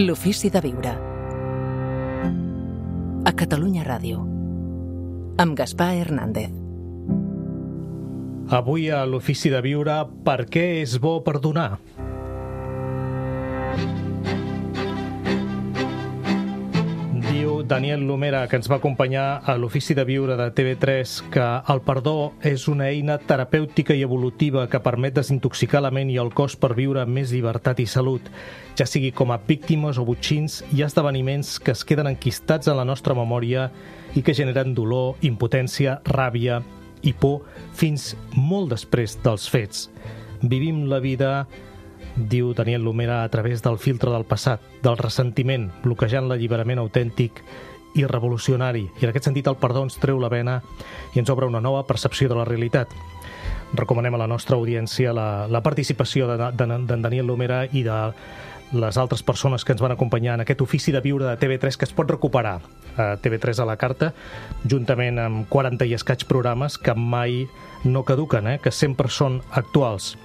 L'ofici de viure. A Catalunya Ràdio. Amb Gaspar Hernández. Avui a l'ofici de viure, per què és bo perdonar? Diu Daniel Lumera, que ens va acompanyar a l'ofici de viure de TV3, que el perdó és una eina terapèutica i evolutiva que permet desintoxicar la ment i el cos per viure amb més llibertat i salut, ja sigui com a víctimes o botxins. Hi ha esdeveniments que es queden enquistats en la nostra memòria i que generen dolor, impotència, ràbia i por fins molt després dels fets. Vivim la vida, diu Daniel Lumera, a través del filtre del passat, del ressentiment, bloquejant l'alliberament autèntic i revolucionari. I en aquest sentit el perdó ens treu la vena i ens obre una nova percepció de la realitat. Recomanem a la nostra audiència la participació d'en Daniel Lumera i de les altres persones que ens van acompanyar en aquest ofici de viure de TV3, que es pot recuperar a TV3 a la carta, juntament amb 40 i escaig programes que mai no caduquen, que sempre són actuals.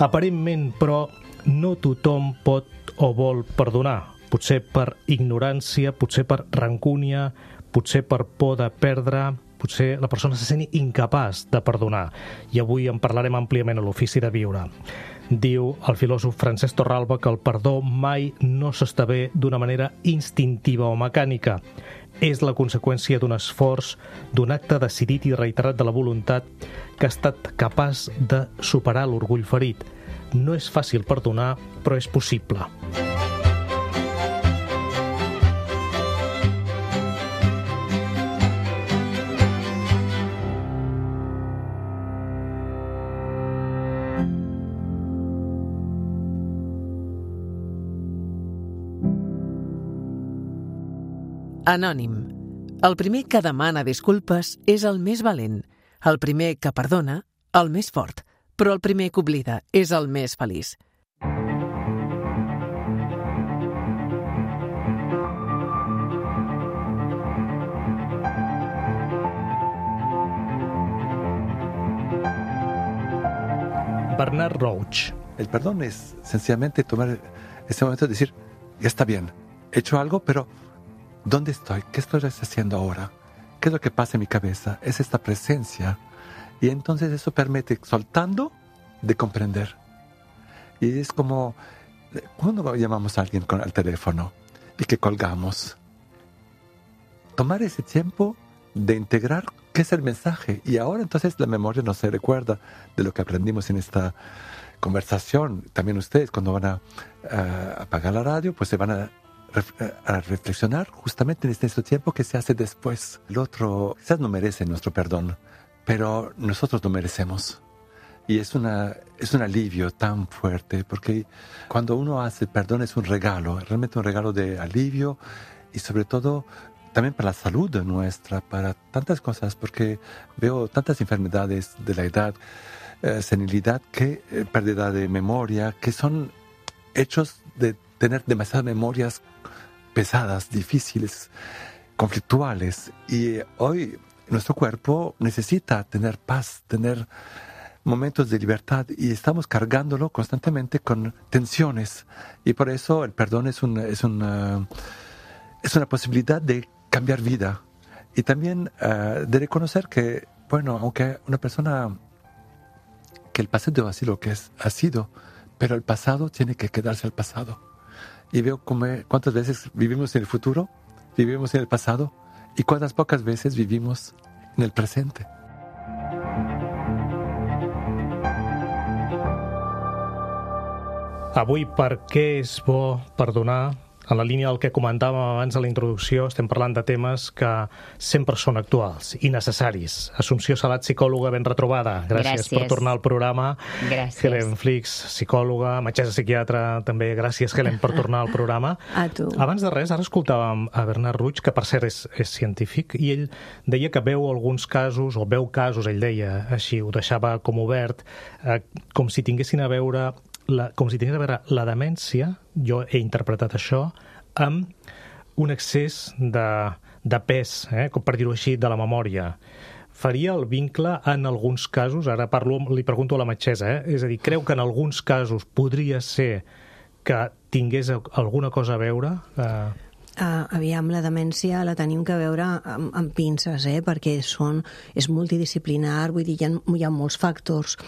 Aparentment, però, no tothom pot o vol perdonar. Potser per ignorància, potser per rancúnia, potser per por de perdre, potser la persona se sent incapaç de perdonar. I avui en parlarem àmpliament a l'ofici de viure. Diu el filòsof Francesc Torralba que el perdó mai no s'esdevé d'una manera instintiva o mecànica. És la conseqüència d'un esforç, d'un acte decidit i reiterat de la voluntat que ha estat capaç de superar l'orgull ferit. No és fàcil perdonar, però és possible. Anònim. El primer que demana disculpes és el més valent. El primer que perdona, el més fort. Però el primer que oblida és el més feliç. Bernard Roach. El perdón es sencillamente tomar ese momento de decir, ya está bien, he hecho algo, pero ¿dónde estoy? ¿Qué estoy haciendo ahora? ¿Qué es lo que pasa en mi cabeza? Es esta presencia. Y entonces eso permite, soltando, de comprender. Y es como cuando llamamos a alguien al teléfono y que colgamos. Tomar ese tiempo de integrar qué es el mensaje. Y ahora entonces la memoria no se recuerda de lo que aprendimos en esta conversación. También ustedes cuando van a apagar la radio, pues se van a reflexionar justamente en este tiempo que se hace después. El otro quizás no merece nuestro perdón, pero nosotros lo merecemos. Y es un alivio tan fuerte, porque cuando uno hace perdón es un regalo, realmente un regalo de alivio y sobre todo también para la salud nuestra, para tantas cosas, porque veo tantas enfermedades de la edad, senilidad, pérdida de memoria, que son hechos de tener demasiadas memorias pesadas, difíciles, conflictuales. Y hoy nuestro cuerpo necesita tener paz, tener momentos de libertad y estamos cargándolo constantemente con tensiones. Y por eso el perdón es una posibilidad de cambiar vida. Y también de reconocer que, bueno, aunque una persona, que el pasado ha sido lo que ha sido, pero el pasado tiene que quedarse al pasado. Y veo cuántas veces vivimos en el futuro, vivimos en el pasado, y cuántas pocas veces vivimos en el presente. Avui, per què és bo perdonar? En la línia del que comentàvem abans a la introducció, estem parlant de temes que sempre són actuals i necessaris. Assumpció Salat, psicòloga, ben retrobada. Gràcies per tornar al programa. Gràcies. Helen Flix, psicòloga, metgessa psiquiatra, també. Gràcies, Helen, per tornar al programa. A tu. Abans de res, ara escoltàvem a Bernard Roach, que per cert és científic, i ell deia que veu alguns casos, o veu casos, ell deia així, ho deixava com obert, com si tinguessin a veure la demència, jo he interpretat això, amb un excés de pes, com per dir-ho així, de la memòria. Faria el vincle en alguns casos, ara li pregunto a la metgessa, és a dir, creu que en alguns casos podria ser que tingués alguna cosa a veure? Aviam, la demència la tenim que veure amb pinces, perquè és multidisciplinar, vull dir, hi ha molts factors.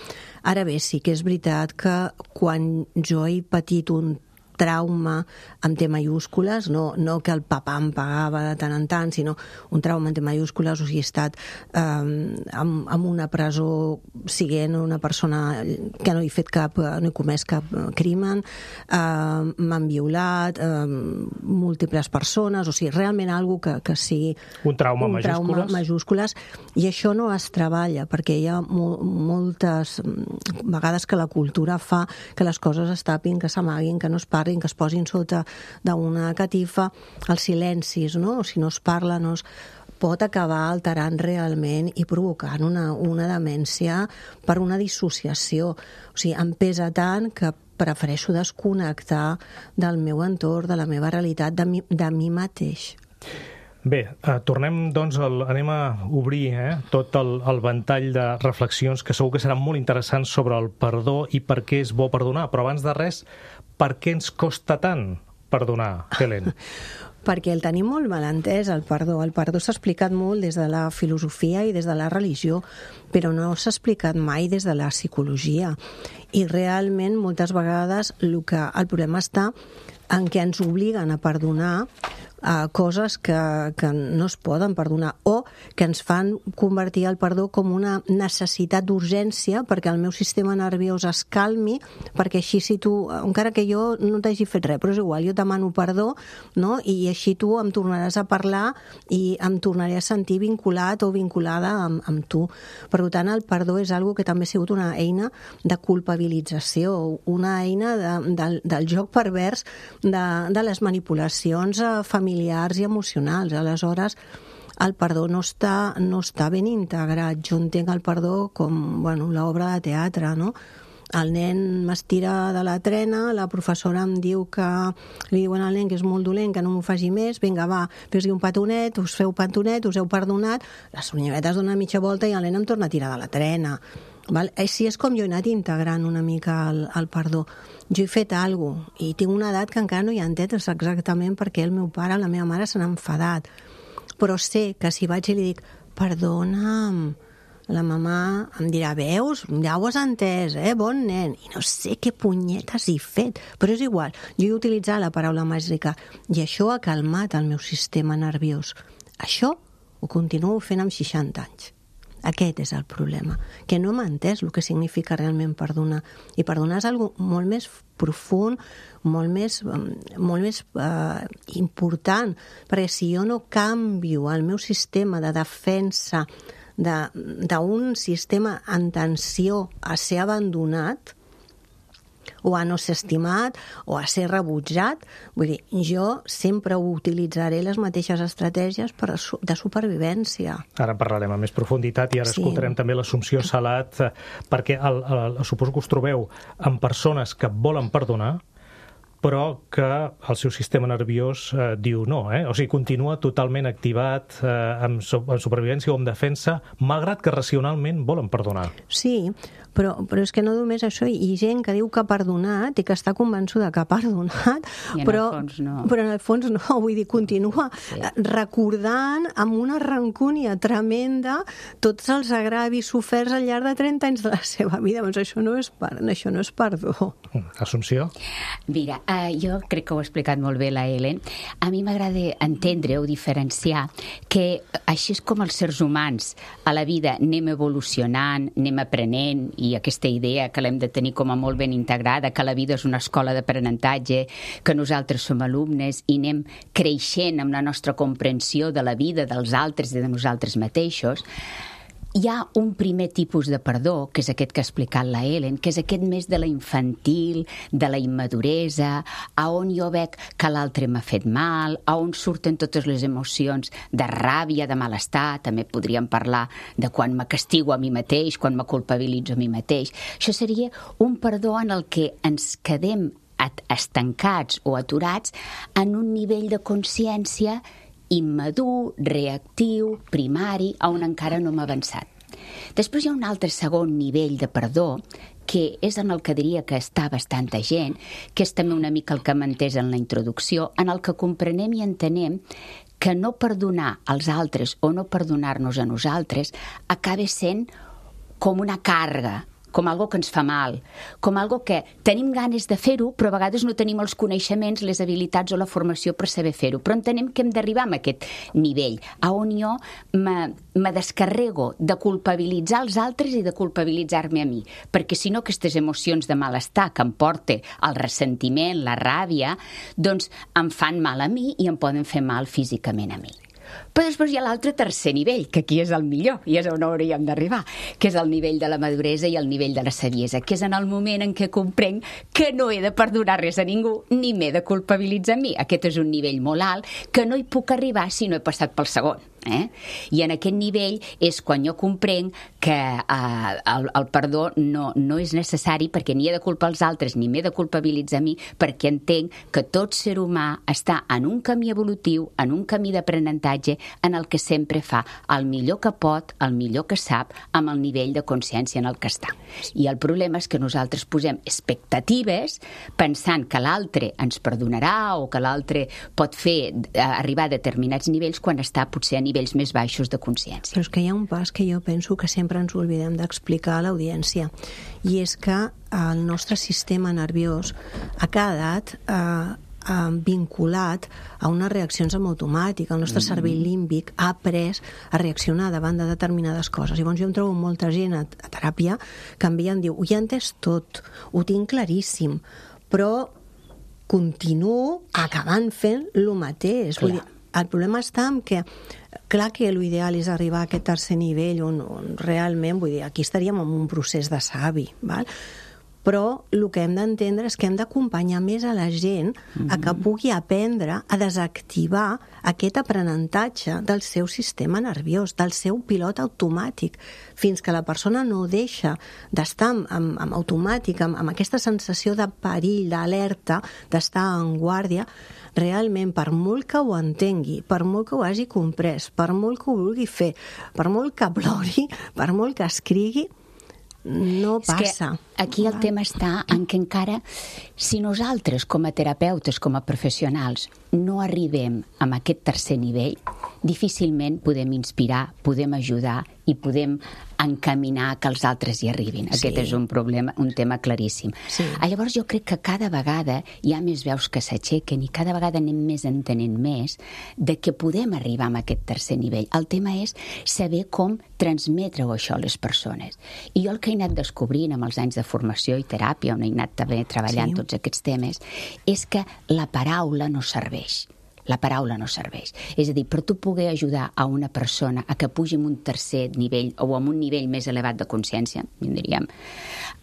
Ara bé, sí que és veritat que quan jo he patit un trauma amb T majúscules, no que el papà em pagava de tant en tant, sinó un trauma amb T majúscules, o sigui, he estat en una presó siguent una persona que no he comès cap crimen, m'han violat, múltiples persones, o sigui, realment algo que sigui un trauma majúscules, i això no es treballa, perquè hi ha moltes vegades que la cultura fa que les coses es tapin, que s'amaguin, que no es parlin, que es posin sota d'una catifa, els silencis, no? O si no es parla, no es pot acabar alterant realment i provocant una demència per una dissociació. O sigui, em pesa tant que prefereixo desconnectar del meu entorn, de la meva realitat, de mi mateix. Bé, tornem, doncs, anem a obrir tot el ventall de reflexions que segur que seran molt interessants sobre el perdó i per què és bo perdonar. Però abans de res, per què ens costa tant perdonar, Helen? Perquè el tenim molt mal entès, el perdó. El perdó s'ha explicat molt des de la filosofia i des de la religió, però no s'ha explicat mai des de la psicologia. I realment, moltes vegades, el problema està en què ens obliguen a perdonar coses que no es poden perdonar, o que ens fan convertir el perdó com una necessitat d'urgència perquè el meu sistema nerviós es calmi, perquè així si tu, encara que jo no t'hagi fet res, però és igual, jo demano perdó, no? I així tu em tornaràs a parlar i em tornaré a sentir vinculat o vinculada amb tu. Per tant, el perdó és algo que també ha sigut una eina de culpabilització, una eina del joc pervers de les manipulacions familiars i emocionals. Aleshores, el perdó no està ben integrat. Jo entenc el perdó com l'obra de teatre, no? El nen m'estira de la trena, la professora em diu li diuen al nen que és molt dolent, que no m'ho faci més, vinga, va, fes-li un petonet, us feu petonet, us heu perdonat, la senyoreta es dona mitja volta i el nen em torna a tirar de la trena. Així és com jo he anat integrant una mica el perdó. Jo he fet alguna cosa i tinc una edat que encara no hi ha entès exactament perquè el meu pare, la meva mare s'han enfadat. Però sé que si vaig i li dic perdona'm, la mamà em dirà, veus, ja ho has entès, bon nen. I no sé què punyetes he fet, però és igual. Jo he utilitzat la paraula màgica i això ha calmat el meu sistema nerviós. Això ho continuo fent amb 60 anys. Aquest és el problema, que no m'ha entès el que significa realment perdonar. I perdonar és una cosa molt més profund, molt més important, perquè si jo no canvio el meu sistema de defensa d'un sistema en tensió a ser abandonat, o a no ser estimat, o a ser rebutjat. Vull dir, jo sempre utilitzaré les mateixes estratègies de supervivència. Ara parlarem amb més profunditat i ara escoltarem també l'Assumpció Salat, perquè suposo que us trobeu amb persones que volen perdonar, però que el seu sistema nerviós diu no, o sigui, continua totalment activat en supervivència o en defensa, malgrat que racionalment volen perdonar. Sí, però és que no només això, hi ha gent que diu que ha perdonat i que està convençuda que ha perdonat, però en el fons no, vull dir, continua recordant amb una rancúnia tremenda tots els agravis soferts al llarg de 30 anys de la seva vida. Doncs això no és perdó. Assumpció? Mira, jo crec que ho ha explicat molt bé la Helen. A mi m'agrada entendre o diferenciar que així és com els éssers humans a la vida anem evolucionant, anem aprenent, i aquesta idea que l'hem de tenir com a molt ben integrada, que la vida és una escola d'aprenentatge, que nosaltres som alumnes i anem creixent amb la nostra comprensió de la vida, dels altres i de nosaltres mateixos. Hi ha un primer tipus de perdó, que és aquest que ha explicat la Helen, que és aquest més de la infantil, de la immaduresa, a on jo veig que l'altre m'ha fet mal, a on surten totes les emocions de ràbia, de malestar, també podríem parlar de quan me castigo a mi mateix, quan me culpabilitzo a mi mateix. Això seria un perdó en el que ens quedem estancats o aturats en un nivell de consciència immadur, reactiu, primari, on encara no hem avançat. Després hi ha un altre segon nivell de perdó, que és en el que diria que està bastanta gent, que és també una mica el que m'ha entès en la introducció, en el que comprenem i entenem que no perdonar als altres o no perdonar-nos a nosaltres acaba sent com una càrrega, com algo que ens fa mal, com algo que tenim ganes de fer-ho, però a vegades no tenim els coneixements, les habilitats o la formació per saber fer-ho. Però entenem que hem d'arribar a aquest nivell, on jo me descarrego de culpabilitzar els altres i de culpabilitzar-me a mi, perquè si no aquestes emocions de malestar que em porta el ressentiment, la ràbia, doncs em fan mal a mi i em poden fer mal físicament a mi. Però després hi ha l'altre tercer nivell, que aquí és el millor, i és on hauríem d'arribar, que és el nivell de la maduresa i el nivell de la saviesa, que és en el moment en què comprenc que no he de perdonar res a ningú, ni m'he de culpabilitzar a mi. Aquest és un nivell molt alt, que no hi puc arribar si no he passat pel segon. I en aquest nivell és quan jo comprenc que el perdó no és necessari, perquè ni he de culpar els altres ni m'he de culpabilitzar a mi, perquè entenc que tot ser humà està en un camí evolutiu, en un camí d'aprenentatge, en el que sempre fa el millor que pot, el millor que sap, amb el nivell de consciència en el que està. I el problema és que nosaltres posem expectatives pensant que l'altre ens perdonarà o que l'altre pot fer arribar a determinats nivells quan està potser a nivells més baixos de consciència. Però és que hi ha un pas que jo penso que sempre ens oblidem d'explicar a l'audiència, i és que el nostre sistema nerviós ha quedat vinculat a unes reaccions en automàtic. El nostre cervell límbic ha après a reaccionar davant de determinades coses. Llavors jo em trobo molta gent a teràpia que em ve i em diu: ho he entès tot, ho tinc claríssim, però continuo acabant fent el mateix. Vull dir, el problema està en que, clar que l'ideal és arribar a aquest tercer nivell on realment, vull dir, aquí estaríem en un procés de savi, val? Però el que hem d'entendre és que hem d'acompanyar més a la gent a que pugui aprendre a desactivar aquest aprenentatge del seu sistema nerviós, del seu pilot automàtic, fins que la persona no deixa d'estar en automàtic, amb aquesta sensació de perill, d'alerta, d'estar en guàrdia. Realment, per molt que ho entengui, per molt que ho hagi comprès, per molt que ho vulgui fer, per molt que plori, per molt que escrigui, no passa. Aquí el tema està en que encara, si nosaltres com a terapeutes, com a professionals, no arribem a aquest tercer nivell, difícilment podem inspirar, podem ajudar i podem encaminar que els altres hi arribin. Aquest és un problema, un tema claríssim. Llavors jo crec que cada vegada hi ha més veus que s'aixequen i cada vegada anem més entenent més de que podem arribar a aquest tercer nivell. El tema és saber com transmetre-ho això a les persones. I jo el que he anat descobrint amb els anys de formació i teràpia, on he anat també treballant tots aquests temes, és que la paraula no serveix. La paraula no serveix. És a dir, per tu poder ajudar a una persona a que pugi en un tercer nivell o en un nivell més elevat de consciència, diríem,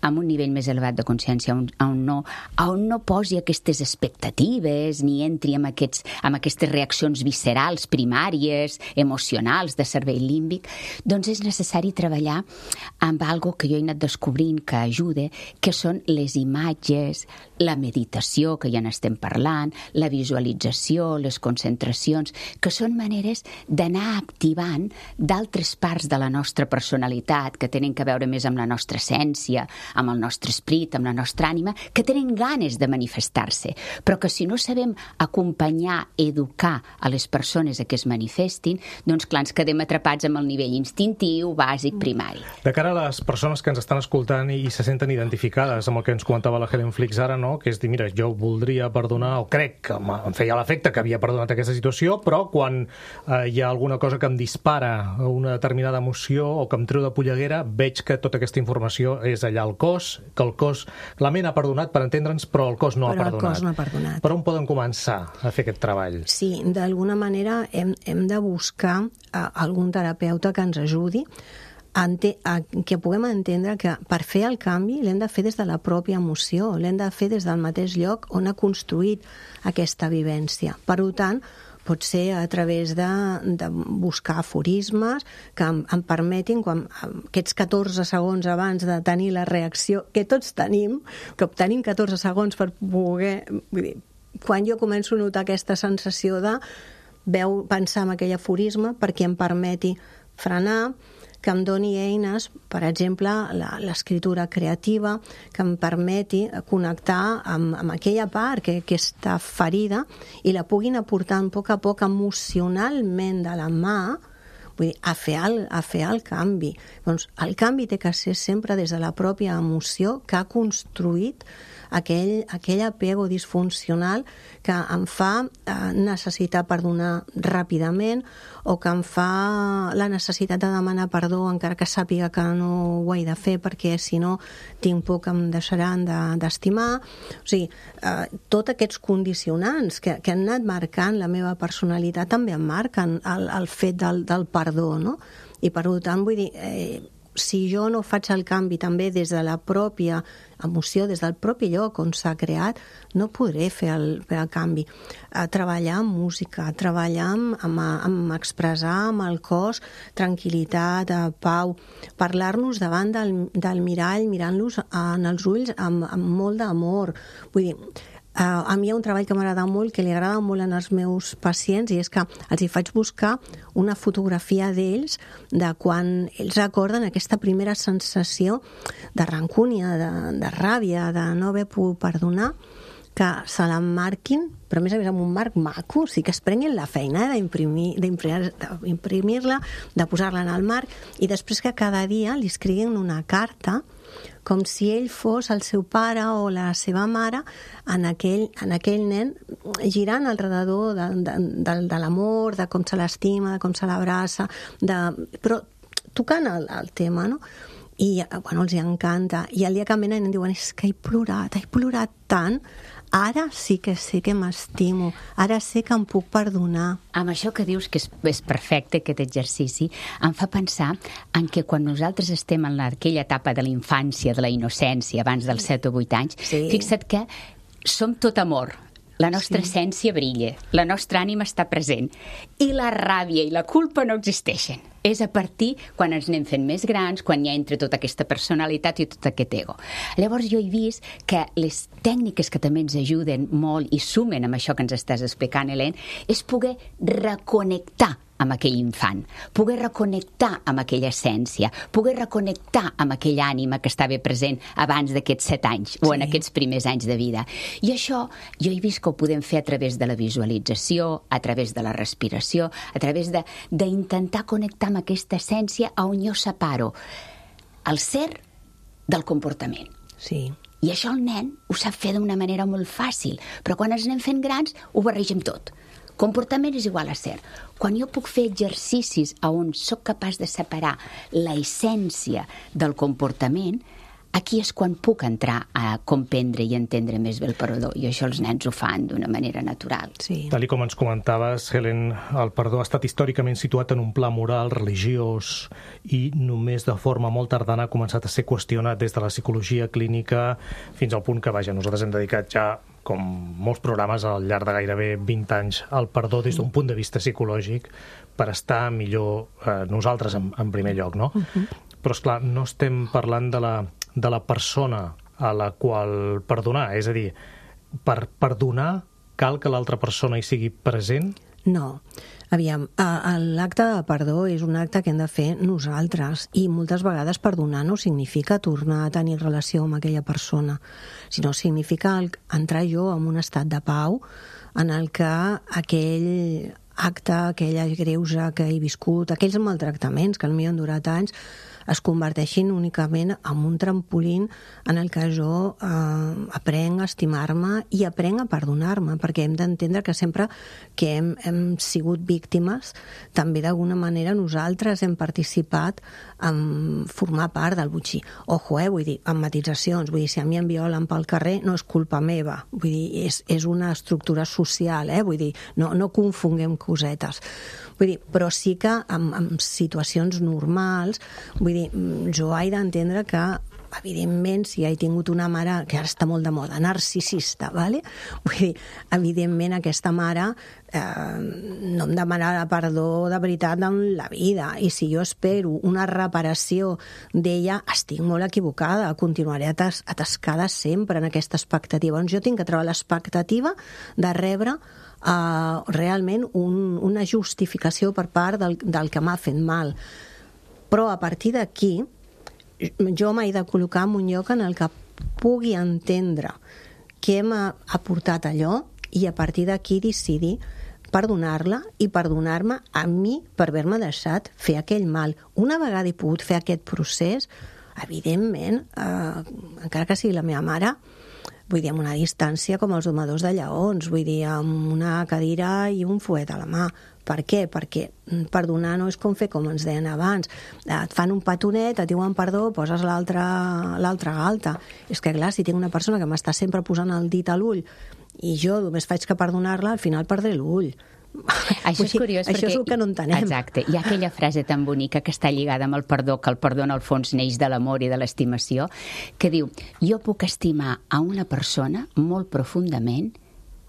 amb un nivell més elevat de consciència on no posi aquestes expectatives ni entri amb aquestes reaccions viscerals, primàries, emocionals, de cervell límbic, doncs és necessari treballar amb algo que jo he anat descobrint que ajuda, que són les imatges, la meditació, que ja n'estem parlant, la visualització, les concentracions, que són maneres d'anar activant d'altres parts de la nostra personalitat, que tenen que veure més amb la nostra essència, amb el nostre esperit, amb la nostra ànima, que tenen ganes de manifestar-se, però que si no sabem acompanyar, educar a les persones a que es manifestin, doncs clar, ens quedem atrapats amb el nivell instintiu, bàsic, primari. De cara a les persones que ens estan escoltant i se senten identificades amb el que ens comentava la Helen Flix ara, no? Que és dir, mira, jo voldria perdonar, o crec que em feia l'efecte que havia perdonat aquesta situació, però quan hi ha alguna cosa que em dispara una determinada emoció o que em treu de polleguera, veig que tota aquesta informació és allà al cos, que el cos, la ment ha perdonat, per entendre'ns, però el cos no ha perdonat. Per on poden començar a fer aquest treball? Sí, d'alguna manera hem de buscar algun terapeuta que ens ajudi que puguem entendre que per fer el canvi l'hem de fer des de la pròpia emoció, l'hem de fer des del mateix lloc on ha construït aquesta vivència. Per tant, pot ser a través de buscar aforismes que em permetin, aquests 14 segons abans de tenir la reacció, que tots tenim, que tenim 14 segons per poder... Vull dir, quan jo començo a notar aquesta sensació de pensar en aquell aforisme perquè em permeti frenar, que em doni eines, per exemple, l'escriptura creativa, que em permeti connectar amb aquella part que està ferida i la puguin aportar a poc emocionalment de la mà, vull dir, a fer el canvi. Doncs el canvi té que ser sempre des de la pròpia emoció que ha construït aquell apego disfuncional que em fa necessitar perdonar ràpidament o que em fa la necessitat de demanar perdó encara que sàpiga que no ho he de fer perquè si no tinc por que em deixaran d'estimar. O sigui, tots aquests condicionants que han anat marcant la meva personalitat també em marquen el fet del perdó, no? I per tant, vull dir, si jo no faig el canvi també des de la pròpia emoció, des del propi lloc on s'ha creat, no podré fer el canvi. Treballar amb música, treballar amb expressar amb el cos tranquil·litat, pau, parlar-nos davant del mirall, mirant-los en els ulls amb molt d'amor. Vull dir, a mi hi ha un treball que m'agrada molt, que li agrada molt als meus pacients, i és que els hi faig buscar una fotografia d'ells de quan ells recorden aquesta primera sensació de rancúnia, de ràbia, de no haver pogut perdonar, que se l'emmarquin, però a més amb un marc maco, o sigui que es prenguin la feina d'imprimir-la, de posar-la en el marc, i després que cada dia li escriguin una carta com si ell fos el seu pare o la seva mare en aquell nen, girant al redador de l'amor, de com se l'estima, de com se l'abraça, però tocant el tema, no? I bueno, els encanta. I el dia que venen diuen, és que he plorat tant, ara sí que sé que m'estimo, ara sé que em puc perdonar. Amb això que dius que és perfecte, aquest exercici, em fa pensar en que quan nosaltres estem en aquella etapa de la infància, de la innocència, abans dels 7 o 8 anys, fixa't que som tot amor. La nostra essència brilla, la nostra ànima està present i la ràbia i la culpa no existeixen. És a partir quan ens anem fent més grans, quan hi ha entre tota aquesta personalitat i tot aquest ego. Llavors jo he vist que les tècniques que també ens ajuden molt i sumen amb això que ens estàs explicant, Helen, és poder reconnectar amb aquell infant, poder reconnectar amb aquella essència, poder reconnectar amb aquella ànima que estava present abans d'aquests 7 anys o en aquests primers anys de vida. I això jo he vist que ho podem fer a través de la visualització, a través de la respiració, a través d'intentar connectar amb aquesta essència on jo separo el ser del comportament. Sí. I això el nen ho sap fer d'una manera molt fàcil, però quan ens anem fent grans ho barregem tot. Comportament és igual a ser. Quan jo puc fer exercicis on sóc capaç de separar la essència del comportament, aquí és quan puc entrar a comprendre i entendre més bé el perdó. I això els nens ho fan d'una manera natural. Sí. Tal com ens comentaves, Helen, el perdó ha estat històricament situat en un pla moral, religiós, i només de forma molt tardana ha començat a ser qüestionat des de la psicologia clínica fins al punt que, vaja, nosaltres hem dedicat ja com molts programes al llarg de gairebé 20 anys, al perdó des d'un punt de vista psicològic per estar millor nosaltres en primer lloc, no? Però, esclar, no estem parlant de la persona a la qual perdonar, és a dir, per perdonar cal que l'altra persona hi sigui present? No. Aviam, l'acte de perdó és un acte que hem de fer nosaltres i moltes vegades perdonar no significa tornar a tenir relació amb aquella persona, sinó significa entrar jo en un estat de pau en el que aquell acte, aquella greuja que he viscut, aquells maltractaments que potser han durat anys, es converteixin únicament en un trampolín en el que jo aprenc a estimar-me i aprenc a perdonar-me, perquè hem d'entendre que sempre que hem sigut víctimes, també d'alguna manera nosaltres hem participat en formar part del botxí. Ojo, vull dir, amb matitzacions, vull dir, si a mi em violen pel carrer no és culpa meva, vull dir, és una estructura social, vull dir, no confonguem cosetes. Vull dir, però sí que en situacions normals, vull dir, jo he d'entendre que, evidentment, si he tingut una mare que ara està molt de moda, narcisista, ¿vale? Vull dir, evidentment aquesta mare no em demanarà perdó de veritat en la vida, i si jo espero una reparació d'ella, estic molt equivocada, continuaré atascada sempre en aquesta expectativa. Jo tinc que treure l'expectativa de rebre realment una justificació per part del que m'ha fet mal. Però a partir d'aquí jo m'he de col·locar en un lloc en el que pugui entendre què m'ha aportat allò i a partir d'aquí decidir perdonar-la i perdonar-me a mi per haver-me deixat fer aquell mal. Una vegada he pogut fer aquest procés, evidentment, encara que sigui la meva mare, vull dir, amb una distància com els domadors de lleons, vull dir, amb una cadira i un fuet a la mà. Per què? Perquè perdonar no és com fer com ens deien abans. Et fan un petonet, et diuen perdó, poses l'altra galta. És que, clar, si tinc una persona que m'està sempre posant el dit a l'ull i jo només faig que perdonar-la, al final perdré l'ull. Això és curiós, això és el que no entenem. Exacte. Hi ha aquella frase tan bonica que està lligada amb el perdó, que el perdó en el fons neix de l'amor i de l'estimació, que diu, jo puc estimar a una persona molt profundament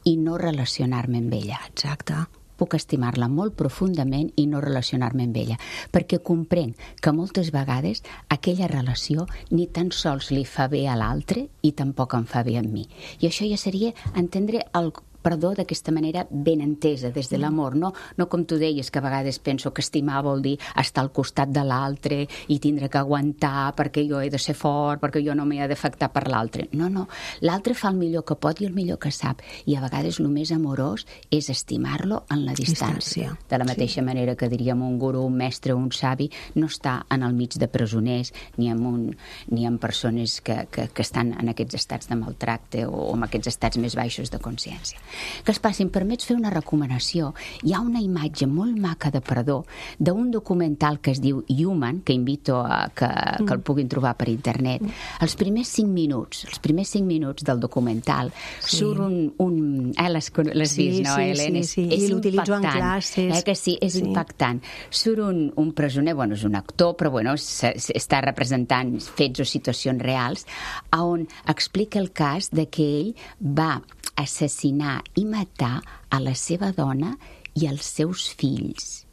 i no relacionar-me amb ella. Exacte. Puc estimar-la molt profundament i no relacionar-me amb ella, perquè comprenc que moltes vegades aquella relació ni tan sols li fa bé a l'altre i tampoc em fa bé a mi. I això ja seria entendre el perdó d'aquesta manera ben entesa, des de l'amor, no com tu deies, que a vegades penso que estimar vol dir estar al costat de l'altre i tindre que aguantar perquè jo he de ser fort, perquè jo no m'he d'afectar per l'altre. No, l'altre fa el millor que pot i el millor que sap, i a vegades el més amorós és estimar-lo en la distància. De la mateixa manera que diríem un guru, un mestre, un savi, no està en el mig de presoners ni amb persones que estan en aquests estats de maltracte o en aquests estats més baixos de consciència. Que es passi, em permets fer una recomanació. Hi ha una imatge molt maca de perdó d'un documental que es diu Human, que invito a que el puguin trobar per internet. Els primers 5 minuts del documental surt un l'has vist, no, Helena? Sí. I l'utilitzo en classes. Que sí, és impactant. Surt un presoner, és un actor, però està representant fets o situacions reals, on explica el cas de que ell va assassinar i matar a la seva dona i els seus fills.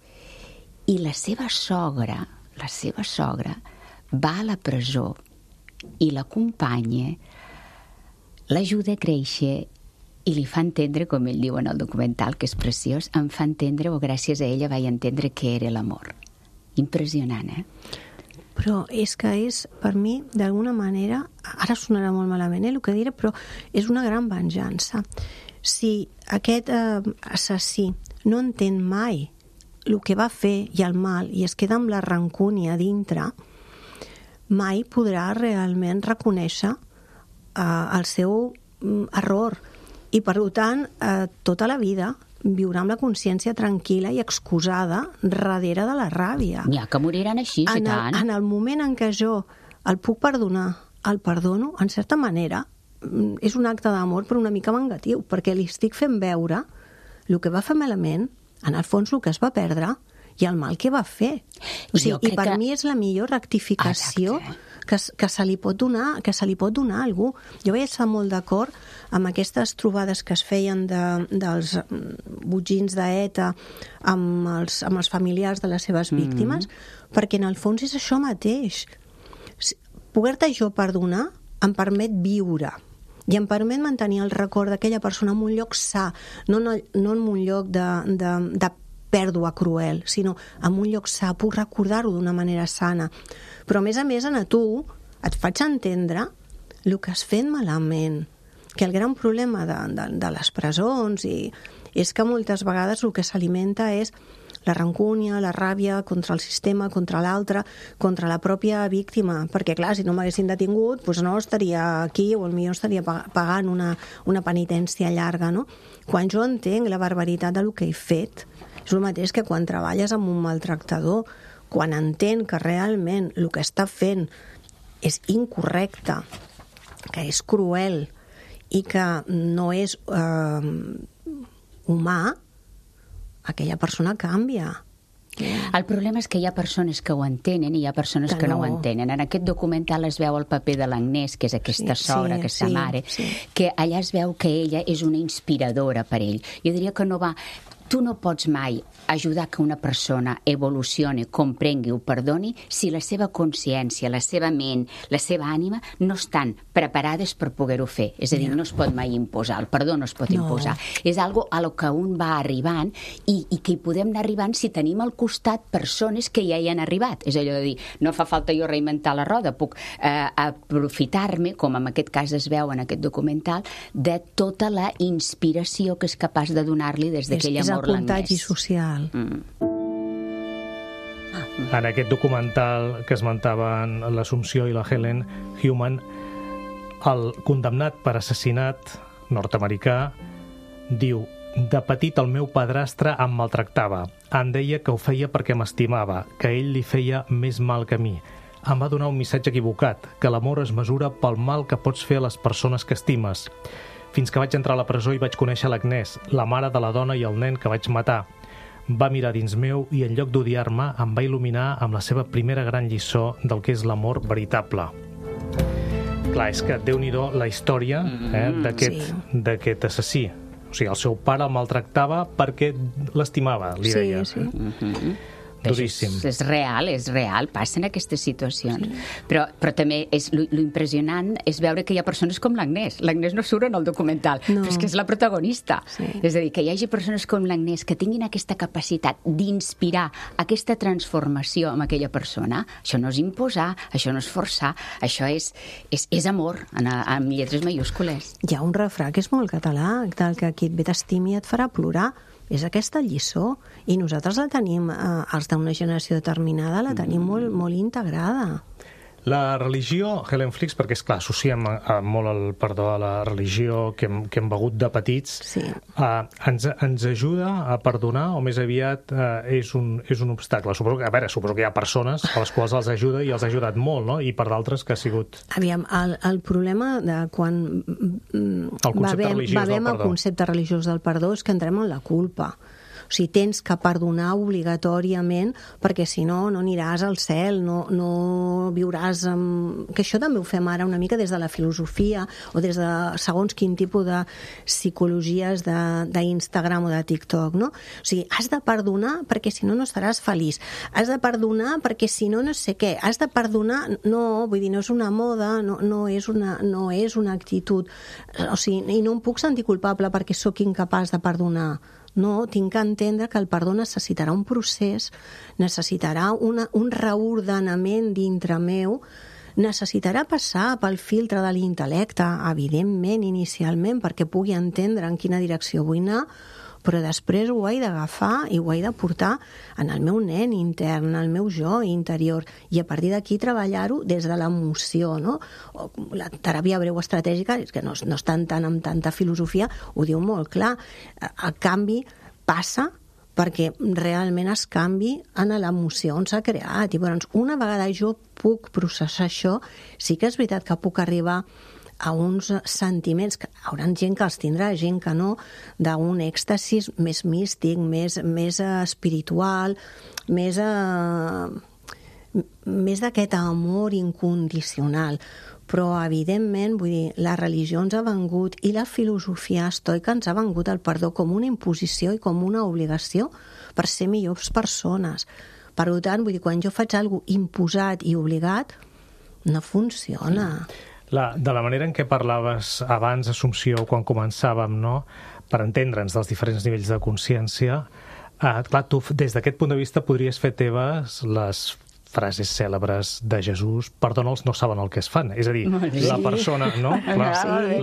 I la seva sogra va a la presó i l'acompanya, l'ajuda a créixer i li fa entendre, com ell diu en el documental, que és preciós, em fa entendre, o gràcies a ella vaig entendre què era l'amor. Impressionant, Però és que és, per mi, d'alguna manera, ara sonarà molt malament el que diré, però és una gran venjança. Si aquest assassí no entén mai el que va fer i el mal i es queda amb la rancúnia dintre, mai podrà realment reconèixer el seu error. I, per tant, tota la vida viurà amb la consciència tranquil·la i excusada darrere de la ràbia. N'hi ha que moriran així, tant. En el moment en què jo el puc perdonar, el perdono, en certa manera, és un acte d'amor però una mica vengatiu, perquè li estic fent veure el que va fer malament, en el fons el que es va perdre i el mal que va fer. I per mi és la millor rectificació que se li pot donar a algú. Jo vaig estar molt d'acord amb aquestes trobades que es feien dels botxins d'ETA amb els familiars de les seves víctimes, perquè en el fons és això mateix. Poder-te jo perdonar em permet viure i em permet mantenir el record d'aquella persona en un lloc sa, no en un lloc de pèrdua cruel, sinó en un lloc sa, puc recordar-ho d'una manera sana. Però, a més, a tu et faig entendre el que has fet malament, que el gran problema de les presons és que moltes vegades el que s'alimenta és la rancúnia, la ràbia contra el sistema, contra l'altre, contra la pròpia víctima, perquè, clar, si no m'haguessin detingut, doncs no estaria aquí o potser estaria pagant una penitència llarga, no? Quan jo entenc la barbaritat del que he fet, és el mateix que quan treballes amb un maltractador, quan entén que realment el que està fent és incorrecte, que és cruel i que no és humà, aquella persona canvia. El problema és que hi ha persones que ho entenen i hi ha persones que no ho entenen. En aquest documental es veu el paper de l'Agnès, que és aquesta sogra, aquesta mare, que allà es veu que ella és una inspiradora per ell. Jo diria que no va... Tu no pots mai ajudar que una persona evolucioni, comprengui, ho perdoni, si la seva consciència, la seva ment, la seva ànima no estan preparades per poder-ho fer. És a dir, no es pot mai imposar, el perdó no es pot imposar. És algo a lo que un va arribant i que hi podem anar arribant si tenim al costat persones que ja hi han arribat. És allò de dir, no fa falta jo reinventar la roda, puc aprofitar-me, com en aquest cas es veu en aquest documental, de tota la inspiració que és capaç de donar-li des d'aquell amor languès. És el contagi social. En aquest documental que esmentaven l'Assumpció i la Helen Human, el condemnat per assassinat nord-americà diu: de petit el meu padrastre em maltractava. Em deia que ho feia perquè m'estimava, que ell li feia més mal que a mi. Em va donar un missatge equivocat, que l'amor es mesura pel mal que pots fer a les persones que estimes. Fins que vaig entrar a la presó i vaig conèixer l'Agnès, la mare de la dona i el nen que vaig matar. Va mirar dins meu i en lloc d'odiar-me em va il·luminar amb la seva primera gran lliçó del que és l'amor veritable. Clar, és que déu-n'hi-do la història d'aquest assassí. O sigui, el seu pare el maltractava perquè l'estimava, li deia. Sí. Duríssim. És real, passen aquestes situacions. Però també lo impressionant és veure que hi ha persones com l'Agnès. L'Agnès no surt en el documental, però és que és la protagonista. Sí. És a dir, que hi hagi persones com l'Agnès que tinguin aquesta capacitat d'inspirar aquesta transformació en aquella persona. Això no és imposar, això no és forçar, això és amor, amb lletres majúscules. Hi ha un refrà que és molt català, del que qui et ve t'estimi et farà plorar. És aquesta lliçó, i nosaltres la tenim, els d'una generació determinada, la tenim molt integrada. La religió, Helen Flix, perquè, esclar, associem molt el perdó a la religió que hem begut de petits, ens ajuda a perdonar o més aviat és un obstacle? Suposo que hi ha persones a les quals els ajuda i els ha ajudat molt, no? I per d'altres que ha sigut... Aviam, el problema de quan bevem el concepte religiós del perdó és que entrem en la culpa. O sigui, tens que perdonar obligatòriament perquè si no, no aniràs al cel, no viuràs amb... Que això també ho fem ara una mica des de la filosofia o des de segons quin tipus de psicologies d'Instagram o de TikTok, no? O sigui, has de perdonar perquè si no, no estaràs feliç. Has de perdonar perquè si no, no sé què. Has de perdonar... No, vull dir, no és una moda, no és una actitud. O sigui, i no em puc sentir culpable perquè sóc incapaç de perdonar. No, tinc que entendre que el perdó necessitarà un procés, necessitarà un reordenament dintre meu, necessitarà passar pel filtre de l'intel·lecte, evidentment, inicialment, perquè pugui entendre en quina direcció vull anar, però després ho he d'agafar i ho he de portar en el meu nen intern, en el meu jo interior, i a partir d'aquí treballar-ho des de l'emoció, no? La teràpia breu estratègica, és que no estan tant amb tanta filosofia, ho diu molt clar. El canvi passa perquè realment es canvi en l'emoció on s'ha creat. I llavors, una vegada jo puc processar això, sí que és veritat que puc arribar a uns sentiments, que haurà gent que els tindrà, gent que no, d'un èxtasis més místic, més espiritual, més d'aquest amor incondicional. Però, evidentment, vull dir, la religió ens ha vengut i la filosofia estoica ens ha vengut el perdó com una imposició i com una obligació per ser millors persones. Per tant, vull dir, quan jo faig alguna cosa imposat i obligat, no funciona. De la manera en què parlaves abans, Assumpció, quan començàvem, no?, per entendre'ns dels diferents nivells de consciència, clar, tu des d'aquest punt de vista podries fer teves les frases cèlebres de Jesús: perdona'ls, no saben el que es fan. És a dir, la persona, no?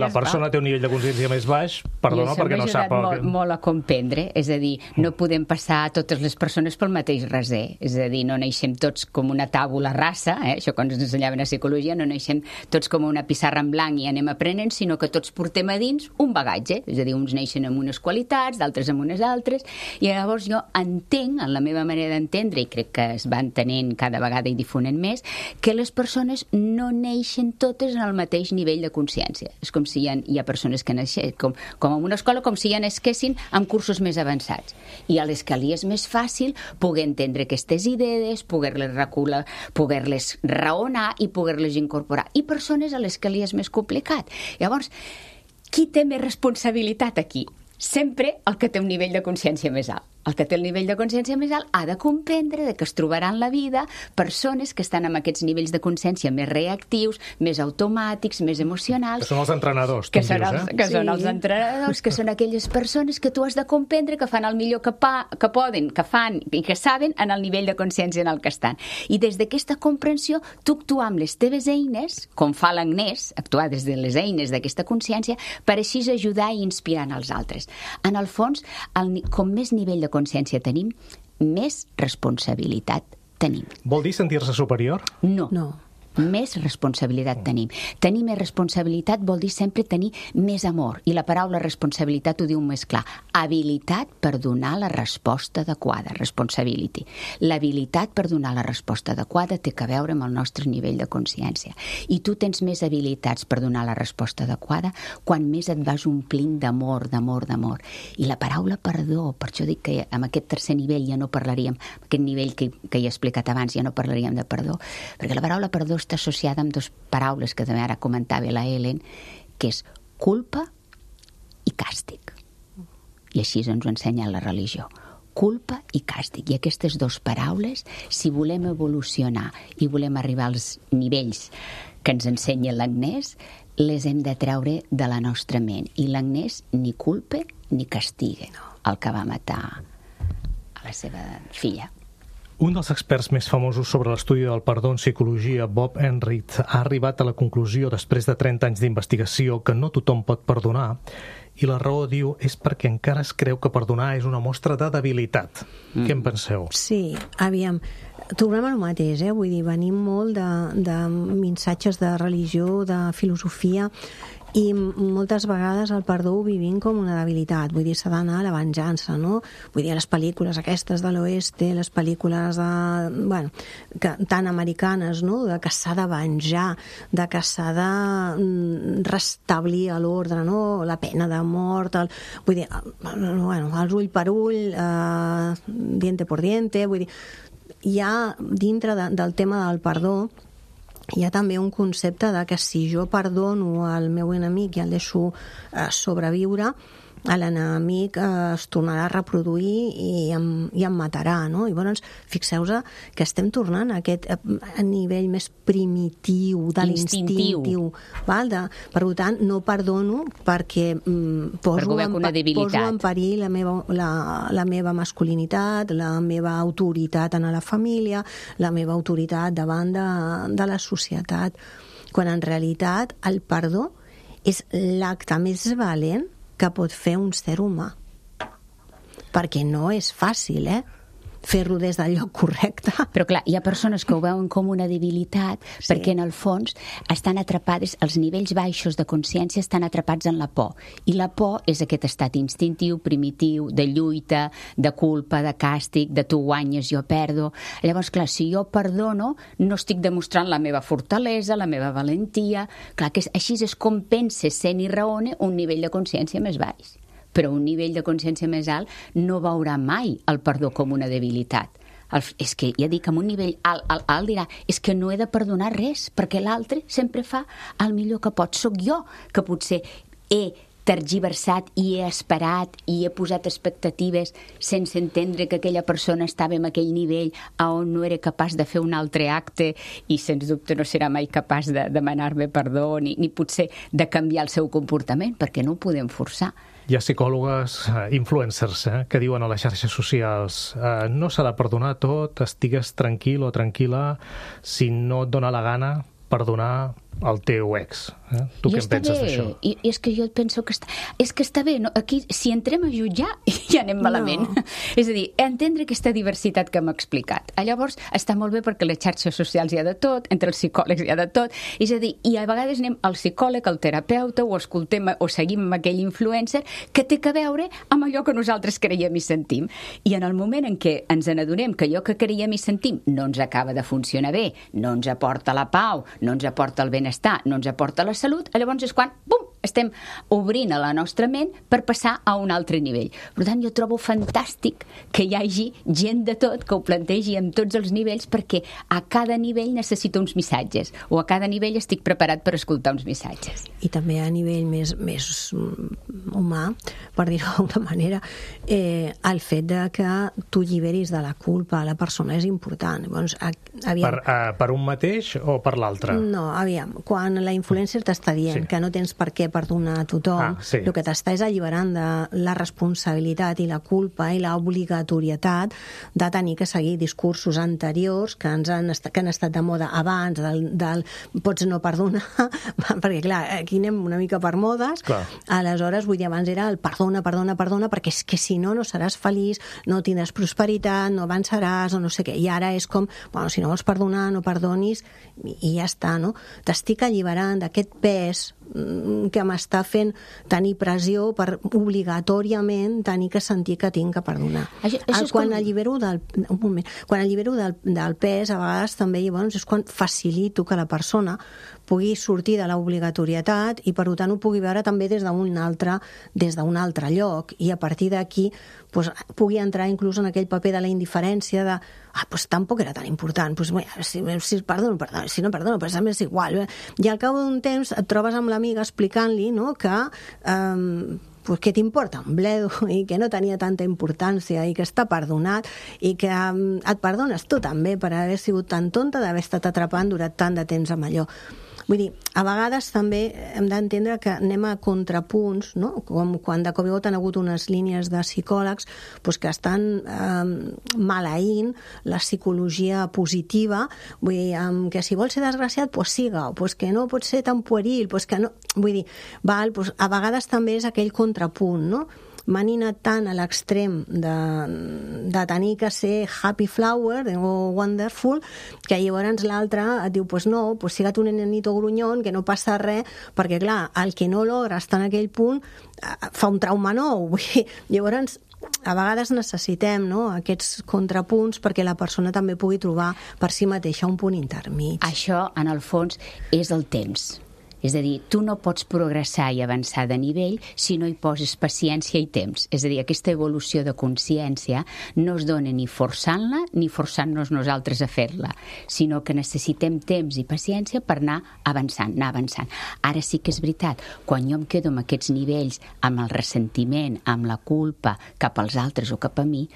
La persona té un nivell de consciència més baix, perdona perquè no sap... I això m'ha ajudat molt a comprendre, és a dir, no podem passar totes les persones pel mateix raser, és a dir, no neixem tots com una tàbula rasa, això quan ens ensenyaven a psicologia, no neixem tots com una pissarra en blanc i anem aprenent, sinó que tots portem a dins un bagatge, és a dir, uns neixen amb unes qualitats, d'altres amb unes altres, i llavors jo entenc, en la meva manera d'entendre, i crec que es va entenent cada vegada i difonent més, que les persones no neixen totes en el mateix nivell de consciència. És com si hi ha persones que neixen, com en una escola, com si ja nasquessin amb cursos més avançats. I a l'escalí és més fàcil poder entendre aquestes idees, poder-les recular, poder-les raonar i poder-les incorporar. I persones a l'escalí és més complicat. Llavors, qui té més responsabilitat aquí? Sempre el que té un nivell de consciència més alt. el que té el nivell de consciència més alt ha de comprendre que es trobaran en la vida persones que estan amb aquests nivells de consciència més reactius, més automàtics, més emocionals. Que són els entrenadors, que són els entrenadors, que són aquelles persones que tu has de comprendre que fan el millor que poden, que fan i que saben en el nivell de consciència en el que estan. I des d'aquesta comprensió, tu actuar amb les teves eines, com fa l'Agnès, actuar des de les eines d'aquesta consciència, per així ajudar i inspirar els altres. En el fons, com més nivell de consciència tenim, més responsabilitat tenim. Vol dir sentir-se superior? No. Més responsabilitat tenim. Tenir més responsabilitat vol dir sempre tenir més amor. I la paraula responsabilitat ho diu més clar. Habilitat per donar la resposta adequada. Responsibility. L'habilitat per donar la resposta adequada té a veure amb el nostre nivell de consciència. I tu tens més habilitats per donar la resposta adequada quan més et vas omplint d'amor, d'amor, d'amor. I la paraula perdó, per això dic que amb aquest tercer nivell ja no parlaríem, aquest nivell que he explicat abans ja no parlaríem de perdó, perquè la paraula perdó està associada amb dues paraules que també ara comentava la Helen, que és culpa i càstig. I així ens ho ensenya la religió. Culpa i càstig. I aquestes dues paraules, si volem evolucionar i volem arribar als nivells que ens ensenya l'Agnès, les hem de treure de la nostra ment. I l'Agnès ni culpa ni castiga el que va matar a la seva filla. Un dels experts més famosos sobre l'estudi del perdó en psicologia, Bob Enright, ha arribat a la conclusió, després de 30 anys d'investigació, que no tothom pot perdonar, i la raó, diu, és perquè encara es creu que perdonar és una mostra de debilitat. Què en penseu? Sí, aviam, tornem al mateix, vull dir, venim molt de missatges de religió, de filosofia, i moltes vegades el perdó ho vivim com una debilitat, vull dir, s'ha d'anar a la venjança, no? Vull dir, les pel·lícules aquestes de l'oeste, les pel·lícules tan americanes, no? De que s'ha de venjar, de que s'ha de restablir l'ordre, no? La pena de mort, vull dir, els ull per ull, diente por diente, vull dir, hi ha dintre del tema del perdó hi ha també un concepte de que si jo perdono al meu enemic i el deixo sobreviure, l'enemic es tornarà a reproduir i em matarà, no? I llavors, fixeu-vos que estem tornant a aquest nivell més primitiu de l'instintiu. Per tant, no perdono perquè poso en perill la meva masculinitat, la meva autoritat en la família, la meva autoritat davant de la societat, quan en realitat el perdó és l'acte més valent que pot fer un ser humà. Perquè no és fàcil, fer-lo des del lloc correcte. Però clar, hi ha persones que ho veuen com una debilitat, sí, perquè en el fons estan atrapades, els nivells baixos de consciència estan atrapats en la por. I la por és aquest estat instintiu, primitiu, de lluita, de culpa, de càstig, de tu guanyes, jo perdo. Llavors, clar, si jo perdono, no estic demostrant la meva fortalesa, la meva valentia. Clar, que així és com pense, sent i raone un nivell de consciència més baix. Però un nivell de consciència més alt no veurà mai el perdó com una debilitat. És que, ja dic, amb un nivell alt dirà, és que no he de perdonar res, perquè l'altre sempre fa el millor que pot. Soc jo que potser he tergiversat i he esperat i he posat expectatives sense entendre que aquella persona estava en aquell nivell on no era capaç de fer un altre acte i sens dubte no serà mai capaç de demanar-me perdó ni potser de canviar el seu comportament, perquè no ho podem forçar. Hi ha psicòlogues, influencers, que diuen a les xarxes socials no s'ha de perdonar tot, estigues tranquil o tranquil·la si no et dona la gana perdonar el teu ex. Tu què en penses d'això? I és que jo penso que està bé. No? Aquí, si entrem a jutjar, ja anem malament. No. És a dir, entendre aquesta diversitat que hem explicat. Llavors, està molt bé perquè les xarxes socials hi ha de tot, entre els psicòlegs hi ha de tot. És a dir, i a vegades anem al psicòleg, al terapeuta, o escoltem o seguim amb aquell influencer que té a veure amb allò que nosaltres creiem i sentim. I en el moment en què ens n'adonem que allò que creiem i sentim no ens acaba de funcionar bé, no ens aporta la pau, no ens aporta el benestar, no ens aporta la salut, llavors és quan, bum, estem obrint a la nostra ment per passar a un altre nivell. Per tant, jo trobo fantàstic que hi hagi gent de tot que ho plantegi en tots els nivells, perquè a cada nivell necessito uns missatges, o a cada nivell estic preparat per escoltar uns missatges. I també a nivell més humà, per dir-ho d'alguna manera, el fet de que tu lliberis de la culpa a la persona és important. Llavors, per un mateix o per l'altre? No, aviam, quan la influencer t'està dient que no tens per què perdonar a tothom, el que t'està és alliberant de la responsabilitat i la culpa i l'obligatorietat de tenir que seguir discursos anteriors que han estat de moda abans, del pots no perdonar, perquè clar, aquí anem una mica per modes, aleshores, vull dir, abans era el perdona, perquè és que si no seràs feliç, no tindràs prosperitat, no avançaràs, o no sé què. I ara és com, bueno, si no vols perdonar, no perdonis, i ja està, no? T'estic alliberant d'aquest pes que m'està fent tenir pressió per obligatòriament tenir que sentir que tinc que perdonar. Quan allibero del pes, a vegades també llavors és quan facilito que la persona pugui sortir de l'obligatorietat i per tant ho pugui veure també des d'un altre lloc, i a partir d'aquí pugui entrar inclús en aquell paper de la indiferència de tampoc era tan important, si perdono, si no perdono, però és igual. I al cap d'un temps et trobes amb l'amiga explicant-li que què t'importa un bledo, i que no tenia tanta importància i que està perdonat i que et perdones tu també per haver sigut tan tonta d'haver estat atrapant durant tant de temps amb allò. Vull dir, a vegades també hem d'entendre que anem a contrapunts, no? Com quan de cop i volta han hagut unes línies de psicòlegs que estan maleint la psicologia positiva, vull dir, que si vols ser desgraciat, siga-ho, que no pot ser tan pueril, que no... Vull dir, a vegades també és aquell contrapunt, no? M'han anat tant a l'extrem de tenir que ser happy flower o wonderful, que llavors l'altre et diu, no, siga't un nenito grunyón, que no passa res, perquè clar, el que no logra estar en aquell punt fa un trauma nou. Llavors, a vegades necessitem aquests contrapunts perquè la persona també pugui trobar per si mateixa un punt intermig. Això, en el fons, és el temps. És a dir, tu no pots progressar i avançar de nivell si no hi poses paciència i temps. És a dir, aquesta evolució de consciència no es dona ni forçant-la ni forçant-nos nosaltres a fer-la, sinó que necessitem temps i paciència per anar avançant. Ara sí que és veritat, quan jo em quedo amb aquests nivells, amb el ressentiment, amb la culpa cap als altres o cap a mi,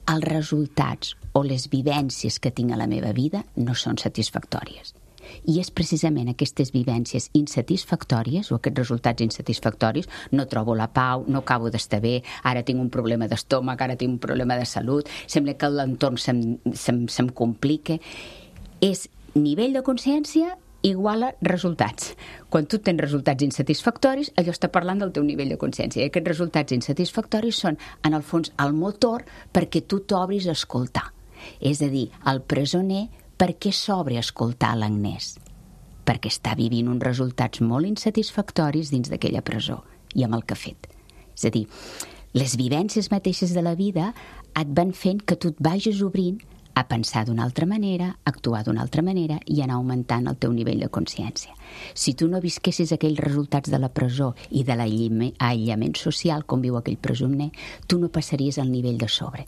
els resultats o les vivències que tinc a la meva vida no són satisfactòries. I és precisament aquestes vivències insatisfactòries o aquests resultats insatisfactoris, no trobo la pau, no acabo d'estar bé, ara tinc un problema d'estómac, ara tinc un problema de salut, sembla que l'entorn se'm complica. És nivell de consciència igual a resultats. Quan tu tens resultats insatisfactoris, allò està parlant del teu nivell de consciència. I aquests resultats insatisfactoris són, en el fons, el motor perquè tu t'obris a escoltar. És a dir, el presoner, per què s'obre a escoltar l'Agnès? Perquè està vivint uns resultats molt insatisfactoris dins d'aquella presó i amb el que ha fet. És a dir, les vivències mateixes de la vida et van fent que tu et vagis obrint a pensar d'una altra manera, actuar d'una altra manera i anar augmentant el teu nivell de consciència. Si tu no visquessis aquells resultats de la presó i de l'aïllament social com viu aquell presoner, tu no passaries al nivell de sobre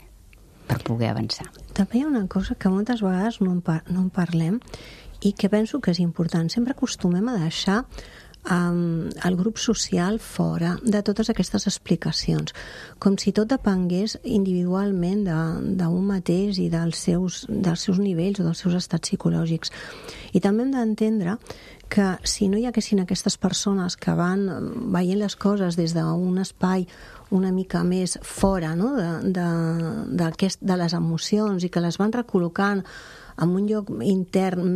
per poder avançar. També hi ha una cosa que moltes vegades no en parlem i que penso que és important. Sempre acostumem a deixar el grup social fora de totes aquestes explicacions, com si tot depengués individualment d'un mateix i dels seus nivells o dels seus estats psicològics. I també hem d'entendre que si no hi haguessin aquestes persones que van veient les coses des d'un espai una mica més fora, no? de les emocions, i que les van recol·locant en un lloc intern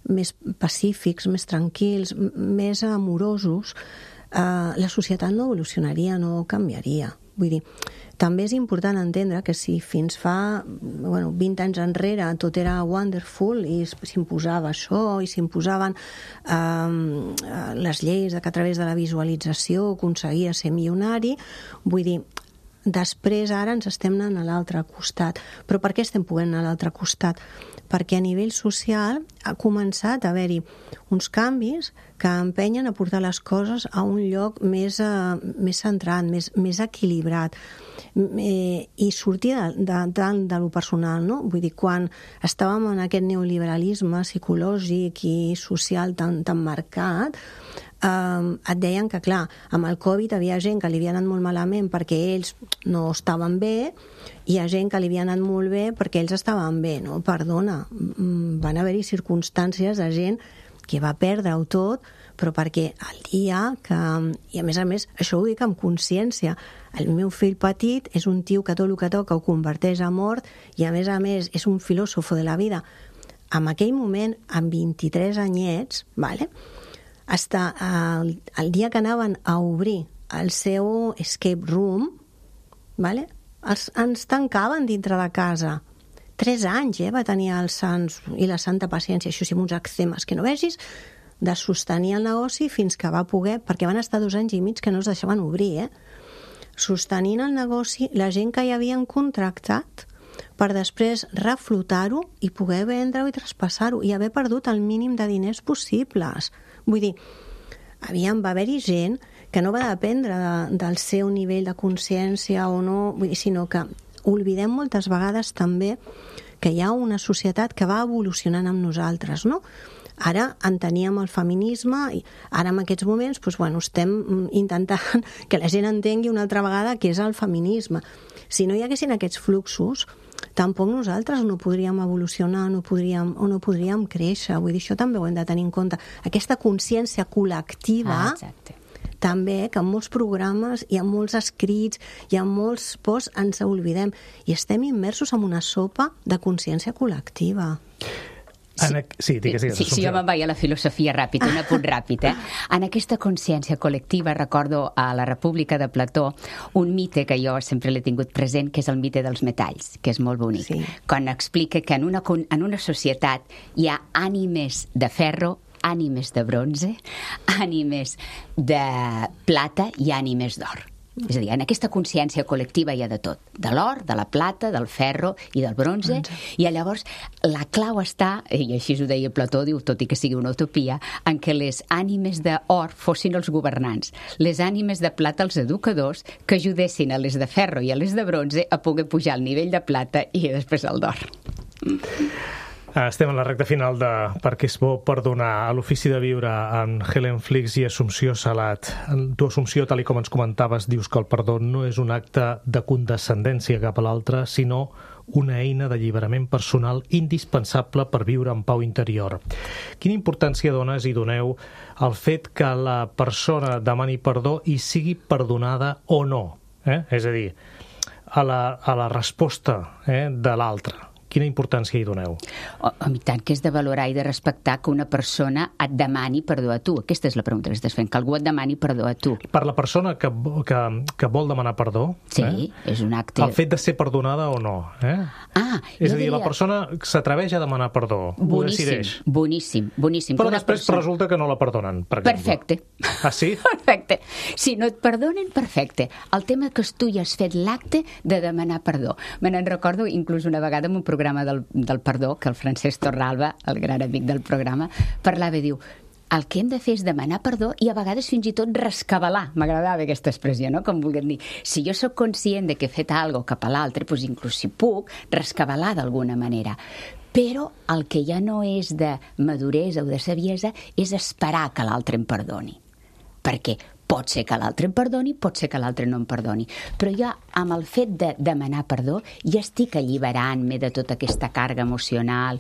més pacífics, més tranquils, més amorosos, la societat no evolucionaria, no canviaria. Vull dir, també és important entendre que si fins fa 20 anys enrere tot era wonderful i s'imposava això i s'imposaven les lleis que a través de la visualització aconseguia ser milionari, vull dir, després ara ens estem anant a l'altre costat. Però per què estem podent anar a l'altre costat? Perquè a nivell social ha començat a haver-hi uns canvis que empenyen a portar les coses a un lloc més centrat, més equilibrat, i sortir de lo personal, no? Vull dir, quan estàvem en aquest neoliberalisme psicològic i social tan marcat, et deien que, clar, amb el Covid havia gent que li havia anat molt malament perquè ells no estaven bé, i hi ha gent que li havia anat molt bé perquè ells estaven bé, no? Perdona, van haver-hi circumstàncies de gent que va perdre-ho tot, però perquè el dia que... I a més, això ho dic amb consciència. El meu fill petit és un tio que tot el que toca ho converteix a mort, i a més, és un filòsofo de la vida. En aquell moment, amb 23 anyets, vale? Hasta el dia que anaven a obrir el seu escape room, vale? Ens tancaven dintre de casa. 3 anys va tenir els sants i la santa paciència, això sí, amb uns eczemes que no vegis, de sostenir el negoci fins que va poder, perquè van estar 2 anys i mig que no es deixaven obrir, sostenint el negoci, la gent que hi havien contractat, per després reflotar-ho i poder vendre-ho i traspassar-ho, i haver perdut el mínim de diners possibles. Vull dir, va haver-hi gent que no va dependre del seu nivell de consciència o no, vull dir, sinó que oblidem moltes vegades també que hi ha una societat que va evolucionant amb nosaltres, no? Ara enteníem el feminisme, i ara en aquests moments estem intentant que la gent entengui una altra vegada què és el feminisme. Si no hi haguessin aquests fluxos, tampoc nosaltres no podríem evolucionar, no podríem créixer. Vull dir, això també ho hem de tenir en compte. Aquesta consciència col·lectiva, també, que en molts programes i en molts escrits i en molts posts ens oblidem, i estem immersos en una sopa de consciència col·lectiva. Sí, jo me'n vaig a la filosofia ràpid, un apunt ràpid. En aquesta consciència col·lectiva recordo a la República de Plató un mite que jo sempre l'he tingut present, que és el mite dels metalls, que és molt bonic. Sí. Quan explica que en una societat hi ha ànimes de ferro, ànimes de bronze, ànimes de plata i ànimes d'or. És a dir, en aquesta consciència col·lectiva hi ha de tot, de l'or, de la plata, del ferro i del bronze, i llavors la clau està, i així ho deia Plató, diu, tot i que sigui una utopia, en què les ànimes d'or fossin els governants, les ànimes de plata els educadors, que ajudessin a les de ferro i a les de bronze a poder pujar al nivell de plata i després al d'or. Estem en la recta final de Per què és bo perdonar, a l'Ofici de Viure amb Helen Flix i Assumpció Salat. Tu, Assumpció, tal com ens comentaves, dius que el perdó no és un acte de condescendència cap a l'altre, sinó una eina d'alliberament personal indispensable per viure en pau interior. Quina importància dones i doneu al fet que la persona demani perdó i sigui perdonada o no? És a dir, a la resposta de l'altre. Quina importància hi doneu? I tant, que és de valorar i de respectar que una persona et demani perdó a tu. Aquesta és la pregunta que estàs fent, que algú et demani perdó a tu. Per la persona que vol demanar perdó, sí, és un acte... el fet de ser perdonada o no. És a dir, la persona s'atreveix a demanar perdó, ho decideix. Boníssim. Però després resulta que no la perdonen, per exemple. Perfecte. Ah, sí? Perfecte. Si no et perdonen, perfecte. El tema que tu ja has fet l'acte de demanar perdó. Me n'en recordo inclús una vegada en un programa del perdó, que el Francesc Torralba, el gran amic del programa, parlava i diu: el que hem de fer és demanar perdó i a vegades fins i tot rescabalar. M'agradava aquesta expressió, no? Com vulguem dir. Si jo sóc conscient de que he fet alguna cosa cap a l'altre, doncs inclús si puc, rescabalar d'alguna manera. Però el que ja no és de maduresa o de saviesa és esperar que l'altre em perdoni. Perquè pot ser que l'altre em perdoni, pot ser que l'altre no em perdoni. Però jo, amb el fet de demanar perdó, ja estic alliberant-me de tota aquesta càrrega emocional,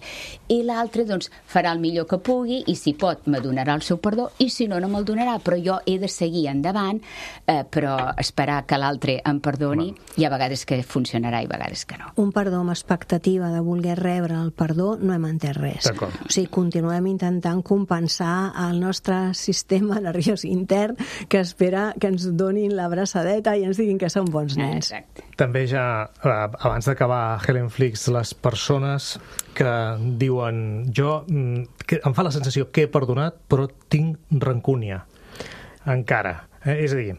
i l'altre, doncs, farà el millor que pugui, i si pot, me donarà el seu perdó, i si no, no me'l donarà. Però jo he de seguir endavant, però esperar que l'altre em perdoni, i a vegades que funcionarà i a vegades que no. Un perdó amb expectativa de voler rebre el perdó no hem entès res. O sigui, continuem intentant compensar el nostre sistema nerviós intern, que espera que ens donin la braçadeta i ens diguin que són bons nens. Exacte. També ja, abans d'acabar, Helen Flix, les persones que diuen que em fa la sensació que he perdonat però tinc rancúnia encara. És a dir,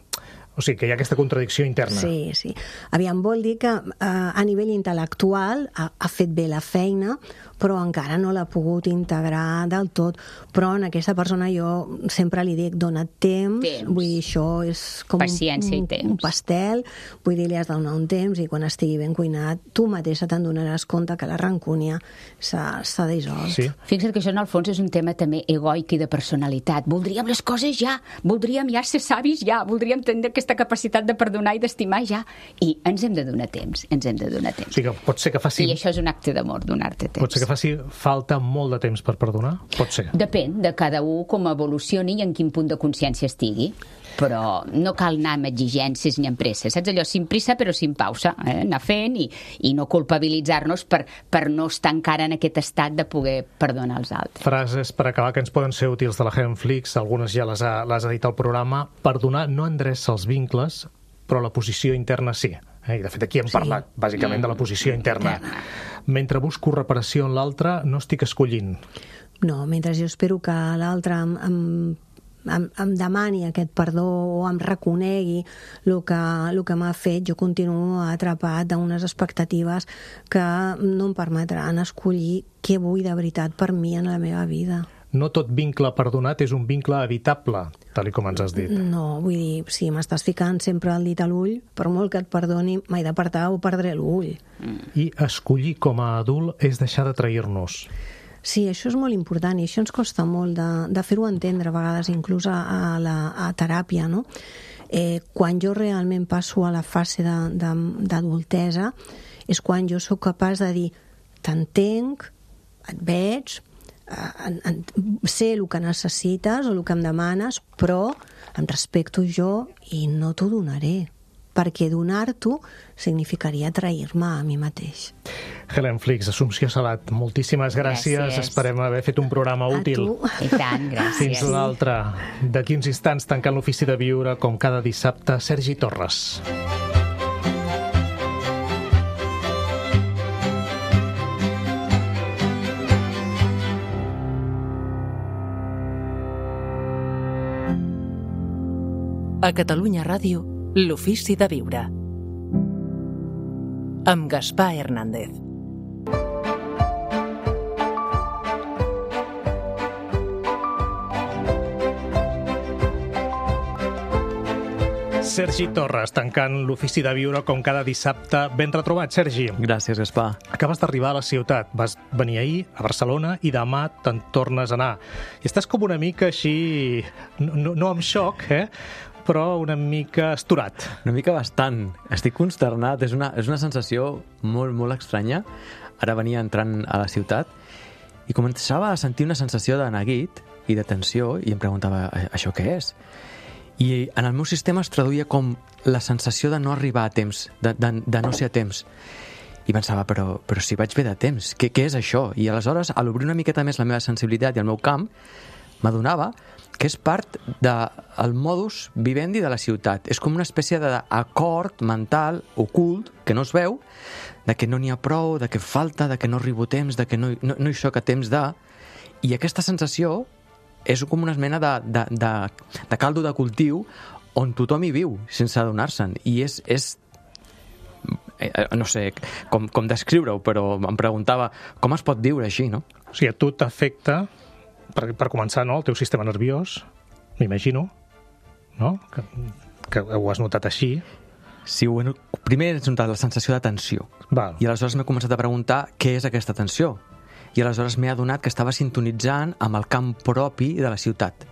O sigui, que hi ha aquesta contradicció interna. Sí, sí. Aviam, vol dir que a nivell intel·lectual ha fet bé la feina, però encara no l'ha pogut integrar del tot. Però en aquesta persona jo sempre li dic, dona't temps. Vull dir, això és com un pastel, vull dir, li has de donar un temps i quan estigui ben cuinat, tu mateixa te'n donaràs compte que la rancúnia s'ha dissolt. Sí. Fixa't que això en el fons és un tema també egoic i de personalitat. Voldríem les coses ja, voldríem ja ser savis ja, voldríem tenir aquesta capacitat de perdonar i d'estimar ja. I ens hem de donar temps, ens hem de donar temps. O sigui que pot ser que faci... I això és un acte d'amor, donar-te temps. Pot ser que faci falta molt de temps per perdonar? Pot ser. Depèn de cada un com evolucioni i en quin punt de consciència estigui. Però no cal anar amb exigències ni amb pressa. Saps allò? Sin prisa però sin pausa. Anar fent i no culpabilitzar-nos per no estar encara en aquest estat de poder perdonar els altres. Frases per acabar que ens poden ser útils de la Helen Flix, algunes ja les ha dit al programa. Perdonar no endreça els vincles, però la posició interna sí. I de fet aquí hem parlat bàsicament de la posició interna. Mentre busco reparació en l'altre, no estic escollint. No, mentre jo espero que l'altre em demani aquest perdó o em reconegui el que m'ha fet, jo continuo atrapat d'unes expectatives que no em permetran escollir què vull de veritat per mi en la meva vida. No tot vincle perdonat és un vincle evitable, tal com ens has dit. No, vull dir, si m'estàs ficant sempre el dit a l'ull, per molt que et perdoni, m'he d'apartar o perdré l'ull. I escollir com a adult és deixar de trair-nos. Sí, això és molt important i això ens costa molt de fer-ho entendre a vegades, inclús a teràpia, no? Quan jo realment passo a la fase d'adultesa és quan jo sóc capaç de dir t'entenc, et veig, sé el que necessites o el que em demanes, però em respecto jo i no t'ho donaré, perquè donar-t'ho significaria trair-me a mi mateix. Helen Flix, Assumpció Salat, moltíssimes gràcies. Esperem haver fet un programa útil. A tu. I tant, gràcies. Fins un altre. D'aquí uns instants, tancant l'Ofici de Viure, com cada dissabte, Sergi Torres. A Catalunya Ràdio, l'Ofici de Viure. Amb Gaspar Hernández. Sergi Torres, tancant l'Ofici de Viure com cada dissabte. Ben retrobat, Sergi. Gràcies, Gaspar. Acabes d'arribar a la ciutat. Vas venir ahir a Barcelona i demà te'n tornes a anar. I estàs com una mica així, no amb xoc, però una mica estorat. Una mica bastant. Estic consternat. És una sensació molt, molt estranya. Ara venia entrant a la ciutat i començava a sentir una sensació de neguit i de tensió i em preguntava, això què és? I en el meu sistema es traduïa com la sensació de no arribar a temps, de no ser a temps. I pensava, però si vaig bé de temps, què és això? I aleshores, a l'obrir una miqueta més la meva sensibilitat i el meu camp, m'adonava que és part del modus vivendi de la ciutat. És com una espècie d'acord mental ocult, que no es veu, de que no n'hi ha prou, de que falta, de que no arribo a temps, de que no hi soc a temps de... I aquesta sensació és com una mena de caldo de cultiu on tothom hi viu sense adonar-se'n. I és no sé com descriure-ho, però em preguntava com es pot viure així, no? O sigui, a tu t'afecta, per començar, no, el teu sistema nerviós, m'imagino, no? Que ho has notat així. Sí, bueno, primer he notat la sensació de tensió. Val. I aleshores m'he començat a preguntar què és aquesta tensió. I aleshores m'he adonat que estava sintonitzant amb el camp propi de la ciutat.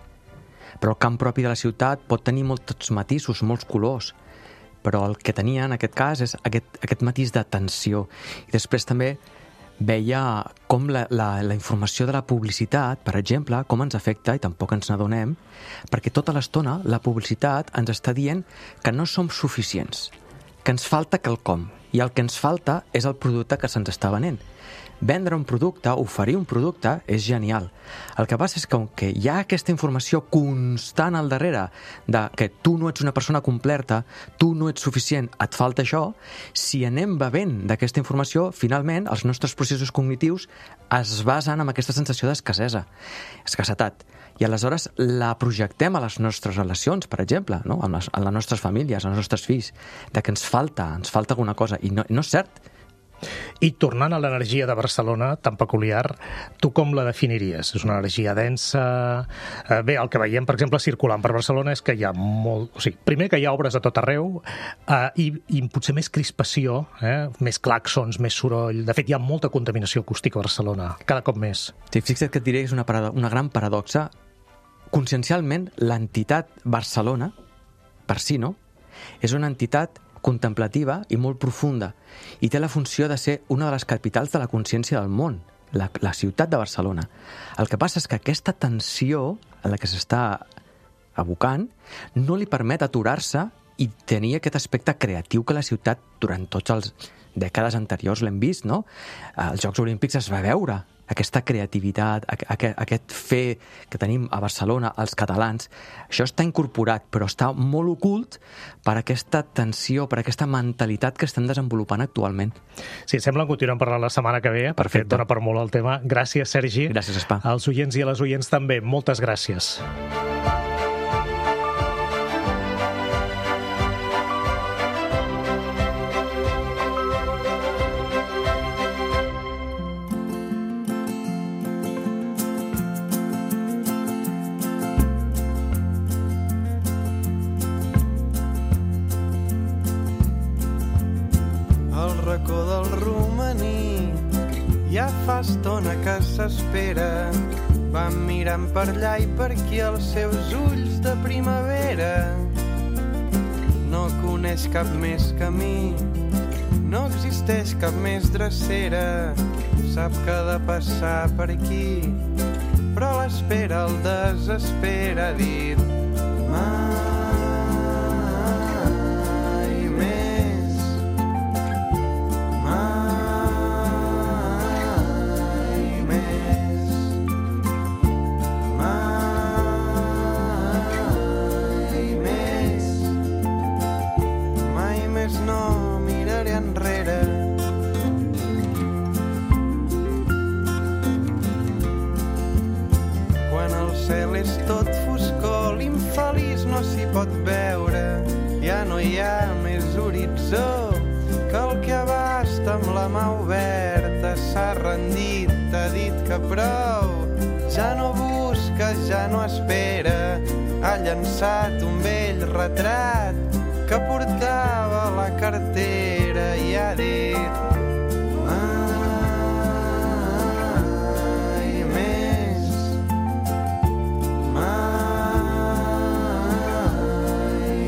Però el camp propi de la ciutat pot tenir molts matisos, molts colors, però el que tenia en aquest cas és aquest matís de tensió. I després també veia com la informació de la publicitat, per exemple, com ens afecta, i tampoc ens n'adonem, perquè tota l'estona la publicitat ens està dient que no som suficients, que ens falta quelcom, i el que ens falta és el producte que se'ns està venent. Vendre un producte, oferir un producte, és genial. El que passa és que, com que hi ha aquesta informació constant al darrere de que tu no ets una persona completa, tu no ets suficient, et falta això, si anem bevent d'aquesta informació, finalment els nostres processos cognitius es basen en aquesta sensació d'escassetat. i aleshores la projectem a les nostres relacions, per exemple, no? A les nostres famílies, als nostres fills, de que ens falta alguna cosa, i no és cert. I tornant a l'energia de Barcelona, tan peculiar, tu com la definiries? És una energia densa? Bé, el que veiem, per exemple, circulant per Barcelona és que hi ha molt... O sigui, primer que hi ha obres a tot arreu i potser més crispació, més clàxons, més soroll. De fet, hi ha molta contaminació acústica a Barcelona, cada cop més. Sí, fixa't que et diré que és una gran paradoxa. Consciencialment, l'entitat Barcelona, per si, no? És una entitat contemplativa i molt profunda, i té la funció de ser una de les capitals de la consciència del món, la ciutat de Barcelona. El que passa és que aquesta tensió en la que s'està abocant no li permet aturar-se i tenir aquest aspecte creatiu que la ciutat durant tots els dècades anteriors l'hem vist, no? Als Jocs Olímpics es va veure aquesta creativitat, aquest fer que tenim a Barcelona, els catalans. Això està incorporat, però està molt ocult per aquesta tensió, per aquesta mentalitat que estem desenvolupant actualment. Sí, sembla que continuem parlant la setmana que ve, perquè dona per molt el tema. Gràcies, Sergi. Gràcies, Espa. Als oients i a les oients també, moltes gràcies. racó del romaní. Ja fa estona que s'espera, van mirant per allà i per aquí els seus ulls de primavera. No coneix cap més camí, no existeix cap més drecera, sap que ha de passar per aquí, però l'espera el desespera, ha dit no miraré enrere. Quan el cel és tot foscor, l'infeliç no s'hi pot veure. Ja no hi ha més horitzó que el que abasta amb la mà oberta. S'ha rendit, t'ha dit que prou, ja no busca, ja no espera. Ha llançat un vell retrat que portava a la cartera i ha dit mai més, mai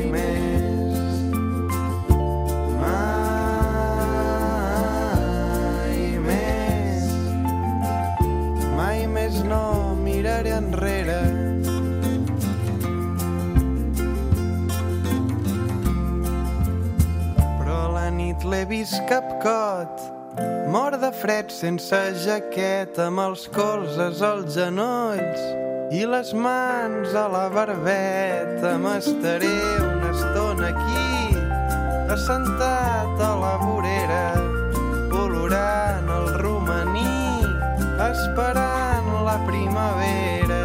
més, mai més no miraré enrere. L'he vist capcot, mort de fred sense jaqueta, amb els colzes als genolls i les mans a la barbeta. M'estaré una estona aquí, assentat a la vorera, olorant el romaní, esperant la primavera.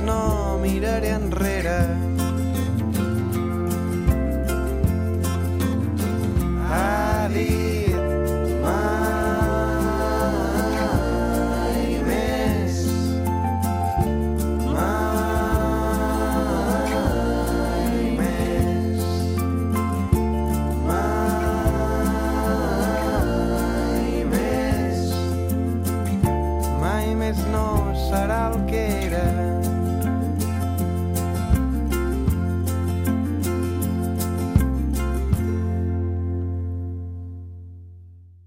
No miraré enrere.